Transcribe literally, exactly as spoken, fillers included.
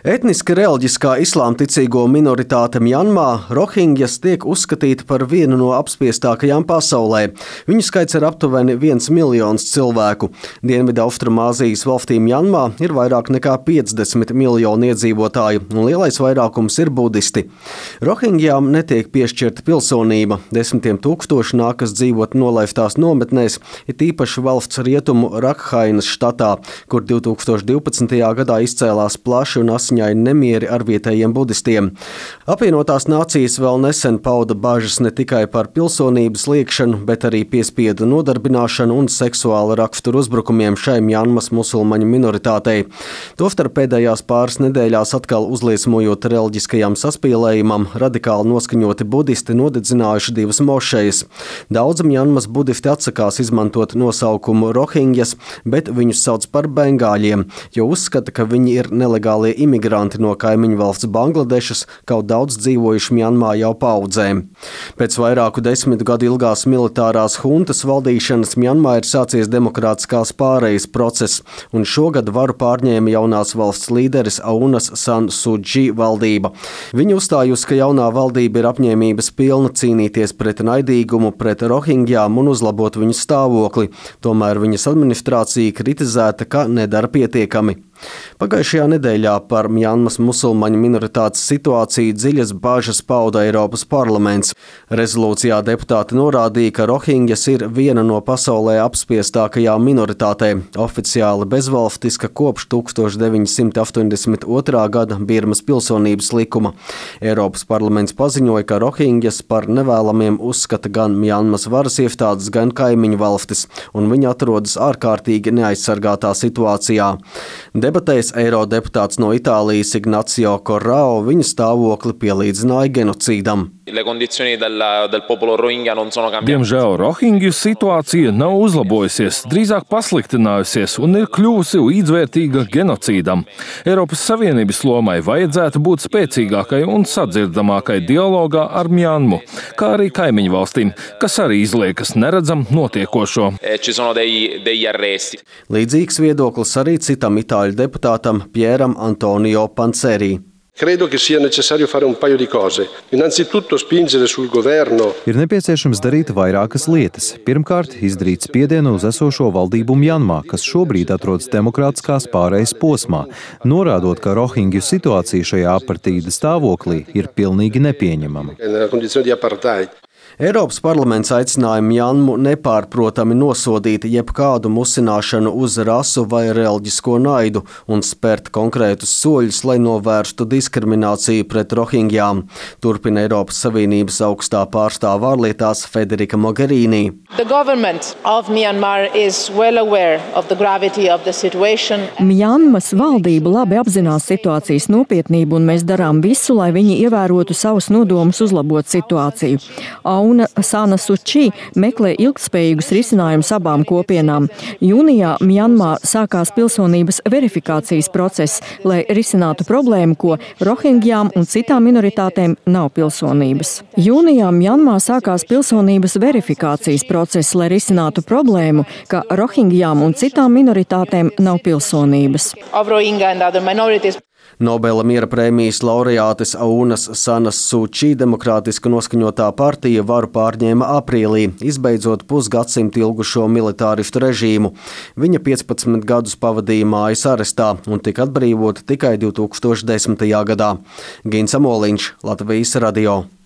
Etniski reliģiskā islāmticīgo minoritāte Mjanmā, rohingjas, tiek uzskatīta par vienu no apspiestākajām pasaulē. Viņu skaits ir aptuveni viens miljons cilvēku. Dienvidu Austrumāzijas valstī Mjanmā ir vairāk nekā piecdesmit miljoni iedzīvotāju, un lielais vairākums ir budisti. Rohingjām netiek piešķirta pilsonība. Desmitiem tūkstoši nākas dzīvot nolaiftās nometnēs, ir tīpaši valsts rietumu Rakhainas štatā, kur divi tūkstoši divpadsmitajā gadā izcēlās plaši un asiņaini nemieri ar vietējiem budistiem. Apvienotās nācijas vēl nesen pauda bažas ne tikai par pilsonības liekšanu, bet arī piespiedu nodarbināšanu un seksuāla rakstura uzbrukumiem šai Mjanmas musulmaņu minoritātei. Tostarp pēdējās pāris nedēļās atkal uzliesmojot reliģiskajam saspīlējumam, radikāli noskaņoti budisti nodedzinājuši divas mošejas. Daudz Mjanmas budisti atsakās izmantot nosaukumu rohingjas, bet viņus sauc par bengāļiem, jo uzskata, ka viņi ir nelegālie imigranti no kaimiņu valsts Bangladešas, kaut daudz dzīvojuši Mjanmā jau paudzēm. Pēc vairāku desmit gadu ilgās militārās huntas valdīšanas Mjanmā ir sācies demokrātiskās pārejas process, un šogad varu pārņēma jaunās valsts līderis Aunas San Suu Kyi valdība. Viņa uzstājusi, ka jaunā valdība ir apņēmības pilna cīnīties pret naidīgumu, pret rohingjām un uzlabot viņu stāvokli. Tomēr viņas administrācija kritizēta, ka nedara pietiekami. Pagājušajā nedēļā par Mjanmas musulmaņu minoritātes situāciju dziļas bažas pauda Eiropas parlaments. Rezolūcijā deputāti norādīja, ka rohingjas ir viena no pasaulē apspiestākajām minoritātēm, oficiāli bezvalstiska kopš tūkstoš deviņi simti astoņdesmit otrā gada Birmas pilsonības likuma. Eiropas parlaments paziņoja, ka rohingjas par nevēlamiem uzskata gan Mjanmas varas iestādes, gan kaimiņu valstis, un viņi atrodas ārkārtīgi neaizsargātā situācijā. Debatēs eirodeputāts no Itālijas Ignacio Corrao viņa stāvokli pielīdzināja genocīdam. Diemžēl rohingju situācija nav uzlabojusies, drīzāk pasliktinājusies un ir kļuvusi līdzvērtīga genocīdam. Eiropas Savienības lomai vajadzētu būt spēcīgākai un sadzirdamākai dialogā ar Mjanmu, kā arī kaimiņu valstīm, kas arī izliekas neredzam notiekošo. Līdzīgs viedoklis arī citam itāļu deputātam Pieram Antonio Panceri. Credo che sia necessario fare un paio di cose. Innanzitutto spingere sul governo. Ir nepieciešams darīt vairākas lietas. Pirmkārt, izdarīt spiedienu uz esošo valdību Mjanmā, kas šobrīd atrodas demokrātiskās pārejas posmā, norādot, ka rohingju situācija šajā apartīda stāvoklī ir pilnīgi nepieņemama. Eiropas parlaments aicināja Mjanmu nepārprotami nosodīt jebkādu musināšanu uz rasu vai reliģisko naidu un spērt konkrētus soļus, lai novērstu diskrimināciju pret rohingjām, turpina Eiropas Savienības augstā pārstāve ārlietās Federica Mogherini. Mjanmas valdība labi apzinās situācijas nopietnību, un mēs darām visu, lai viņi ievērotu savus nodomus uzlabot situāciju. Auna San Suu Kyi meklē ilgtspējīgus risinājumus abām kopienām. Jūnijā Mjanmā sākās pilsonības verifikācijas process, lai risinātu problēmu, ko rohingjām un citām minoritātēm nav pilsonības. Jūnijā Mjanmā sākās pilsonības verifikācijas process, lai risinātu problēmu, ka rohingjām un citām minoritātēm nav pilsonības. Nobela miera prēmijas laureātes Aunas Sanas Suu Kyi demokrātiski noskaņotā partija varu pārņēma aprīlī, izbeidzot pusgadsimtu ilgušo militāristu režīmu. Viņa piecpadsmit gadus pavadīja mājas arestā un tika atbrīvota tikai divi tūkstoši desmitajā gadā. Gins Amoliņš, Latvijas radio.